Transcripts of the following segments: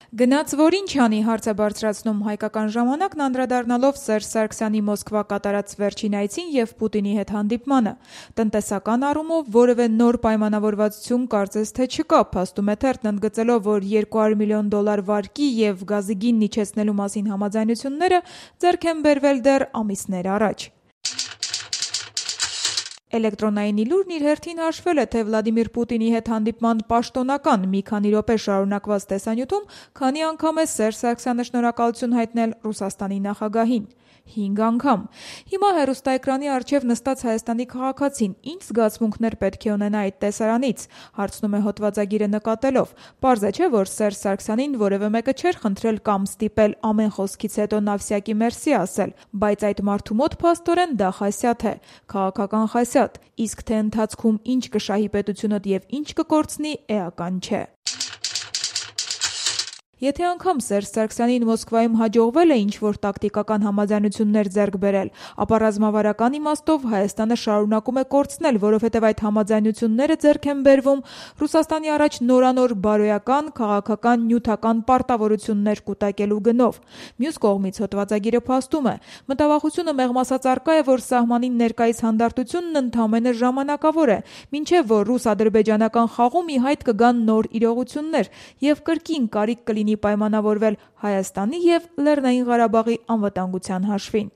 Գնաց որ ինչ անի, հարց է բարձրացնում «Հայկական ժամանակն» անդրադառնալով Սերժ Սարգսյանի Մոսկվա կատարած վերջին այցին և Պուտինի հետ հանդիպմանը։ Տնտեսական առումով որևէ նոր պայմանավորվածություն կարծես թե չկա, փաստում է թերթն, ընդգծելով, որ $200 միլիոն վարկի և գազի գինն իջեցնելու մասին համաձայնությունները ձեռք են բերվել դեռ ամիսներ առաջ։ Էլեկտրոնային իլուրն իր հերթին հաշվել է, թե Վլադիմիր Պուտինի հետ հանդիպման պաշտոնական մի քանի րոպե շարունակված տեսանյութում քանի անգամ է Սերժ Սարգսյանը շնորհակալություն հայտնել Ռուսաստանի նախագահին։ 5 անգամ։ Հիմա հեռուստաէկրանի առջև նստած Հայաստանի քաղաքացին ինչ զգացմունքներ պետք է ունենա այդ տեսարանից, հարցնում է հոդվածագիրը նկատելով։ Պարզ է, չէ, որ Սերժ Սարգսյանին որևէ մեկը չէր խնդրել կամ ստիպել ամեն խոսքից հետո նավսյակի մերսի ասել, բայց այդ մարդու մոտ փաստորեն դա խասյաթ է, քաղաքական խասյաթ, իսկ թե ընթացքում ինչ կշահի պետությունդ և ինչ կկորցնի, էական չէ։ Եթե անգամ Սերժ Սարգսյանին Մոսկվայում հաջողվել է ինչ-որ տակտիկական համաձայնություններ ձեռք բերել, ապա ռազմավարական իմաստով Հայաստանը շարունակում է կորցնել, որովհետև այդ համաձայնությունները ձեռք են բերվում Ռուսաստանի առաջ նորանոր բարոյական, քաղաքական, նյութական պարտավորություններ կուտակելու գնով։ Մյուս կողմից հոդվածագիրը փաստում է. մտավախությունը մեղմ ասած առկա է, որ սահմանին ներկայիս հանդարտությունն ընդամենը ժամանակավոր է, մինչև որ ռուս-ադրբեջանական խաղում ի հայտ կգան նոր իրողություններ և կրկին կարիք կլինի պայմանավորվել Հայաստանի և Լեռնային Ղարաբաղի անվտանգության հաշվին։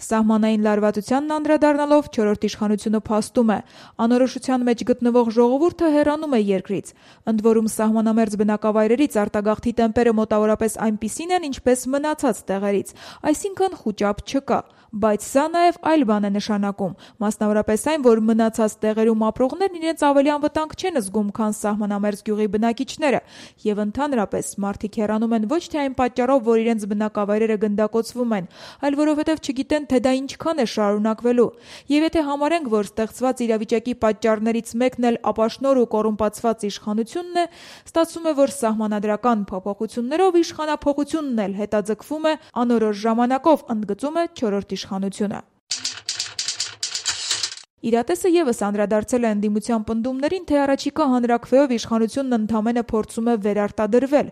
Սահմանային լարվածությանն անդրադառնալով չորրորդ իշխանությունը փաստում է. անորոշության մեջ գտնվող ժողովուրդը հեռանում է երկրից, ընդ որում սահմանամերձ բնակավայրերից արտագաղթի տեմպերը մոտավորապես այնպիսին են, ինչպես մնացած տեղերից, այսինքն խուճապ չկա, բայց սա նաև այլ բան է նշանակում, մասնավորապես այն, որ մնացած տեղերում ապրողներն իրենց ավելի անվտանգ չեն զգում, քան սահմանամերձ գյուղի բնակիչները, և ընդհանրապես մարդիկ հեռանում են ոչ թե այն պատճառով, որ իրենց բնակավայրերը գնդակոծվում են, այլ որովհետև չգիտեն, թե դա ինչքան է շարունակվելու։ Եվ եթե համարենք, որ ստեղծված իրավիճակի պատճառներից մեկն էլ ապաշնոր ու կոռումպացված իշխանությունն է, ստացվում է, որ սահմանադրական փոփոխություններով իշխանափոխությունն էլ հետաձգվում է անորոշ ժամանակով, ընդգծում է չորրորդ իշխանությունը։ Իրատեսը ևս անդրադարձել է ընդդիմության պնդումներին, թե առաջիկա հանրաքվեով իշխանությունն ընդամենը փորձում է վերարտադրվել։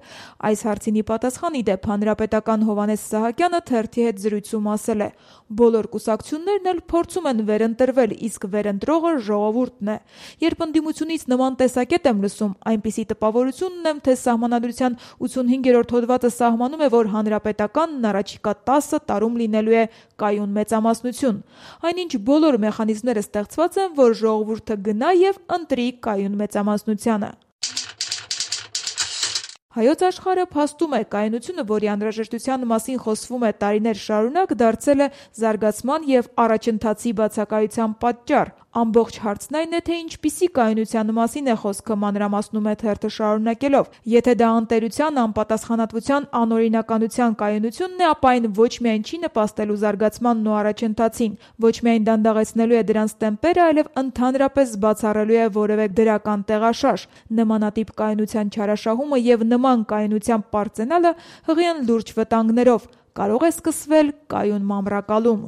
Այս հարցին ի պատասխան, ի դեպ, հանրապետական Հովհաննես Սահակյանը թերթի հետ զրույցում ասել է. բոլոր կուսակցություններն էլ փորձում են վերընտրվել, իսկ վերընտրողը ժողովուրդն է։ Երբ ընդդիմությունից նման տեսակետ եմ լսում, այնպիսի տպավորություն ունեմ, թե Սահմանադրության 85-րդ հոդվածը սահմանում է, որ հանրապետականն առաջիկա 10 տարում լինելու է կայուն մեծամասնություն։ Այնինչ բոլոր մեխանիզմները ստեղծված են, որ ժողովուրդը գնա և ընտրի կայուն մեծամասնությանը։ Հայոց աշխարհը փաստում է, կայունությունը, որի անհրաժեշտության մասին խոսվում է տարիներ շարունակ, դարձել է զարգացման և առաջընթացի բացակայության պատճառ։ Ամբողջ հարցն այն է, թե ինչպիսի կայունության մասին է խոսքը, մանրամասնում է թերթը շարունակելով։ Եթե դա անտերության, անպատասխանատվության, անօրինականության կայունությունն է, ապա այն ոչ միայն չի նպաստելու զարգացմանն ու առաջընթացին, ոչ միայն դանդաղեցնելու է դրանց տեմպերը, այլև ընդհանրապես բացառելու է որևէ դրական տեղաշարժ։ Նմանատիպ կայունության չարաշահումը և նման կայունության պարծենալը հղի են լուրջ վտանգներով, կարող է սկսվել կայուն մամրակալում։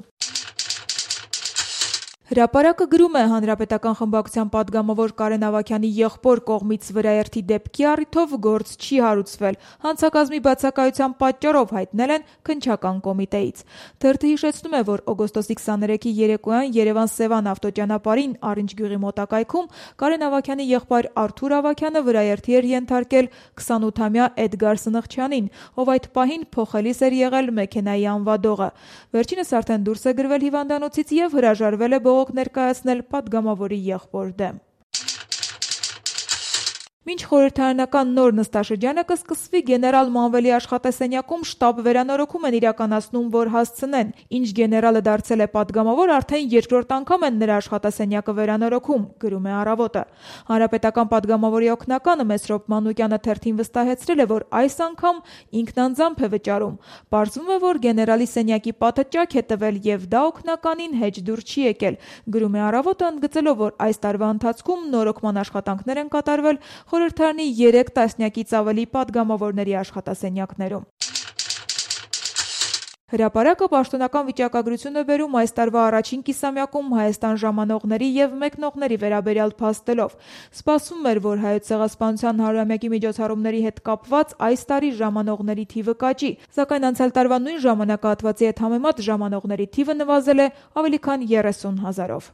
Հրապարակը գրում է Հանրապետական խմբակցության պատգամավոր Կարեն Ավագյանի եղբոր կողմից վրաերթի դեպքի առիթով գործ չի հարուցվել, հանցակազմի բացակայության պատճառով հայտնել են քննչական կոմիտեից։ Թերթը հիշեցնում է, որ օգոստոսի 23-ի երեկոյան Երևան-Սևան ավտոճանապարհին Արինջ գյուղի մոտակայքում Կարեն Ավագյանի եղբայր Արթուր Ավագյանը վրաերթի էր ենթարկել 28-ամյա Էդգար Սնխչյանին, ով այդ պահին փոխելիս էր եղել մեքենայի անվադողը։ Վերջինս արդեն դուրս է գրվել հիվանդանոցից և հրաժարվել է բողոք ներկայացնել պատգամավորի եղբոր դեմ։ Մինչ խորհրդարանական նոր նստաշրջանը կսկսվի, գեներալ Մանվելի աշխատասենյակում շտաբ վերանորոգում են իրականացնում, որ հասցնեն, ինչ գեներալը դարձել է պատգամավոր, արդեն երկրորդ անգամ են նրա աշխատասենյակը վերանորոգում, գրում է Առավոտը։ Հանրապետական պատգամավորի օգնականը Մեսրոպ Մանուկյանը թերթին վստահեցրել է, որ այս անգամ ինքն անձամբ է վճարում։ Պարզվում է, որ գեներալի սենյակի պատը ճաք է տվել և դա օգնականին հեչ դուր չի եկել, գրում է Առավոտը, ընդգծելով, որ այս տարվա ընթացքում նորոգման աշխատանքներ են կատարվել խորհրդարանի 3 տասնյակից ավելի պատգամավորների աշխատասենյակներում։ Հրապարակը պաշտոնական վիճակագրություն է բերում այս տարվա առաջին կիսամյակում Հայաստան ժամանողների եւ մեկնողների վերաբերյալ փաստելով։ Սպասվում էր, որ Հայոց ցեղասպանության 100-ամյակի միջոցառումների հետ կապված այս տարի ժամանողների թիվը կաճի, սակայն անցյալ տարվա նույն ժամանակահատվածի հետ համեմատ ժամանողների թիվը նվազել է ավելի քան 30 000-ով։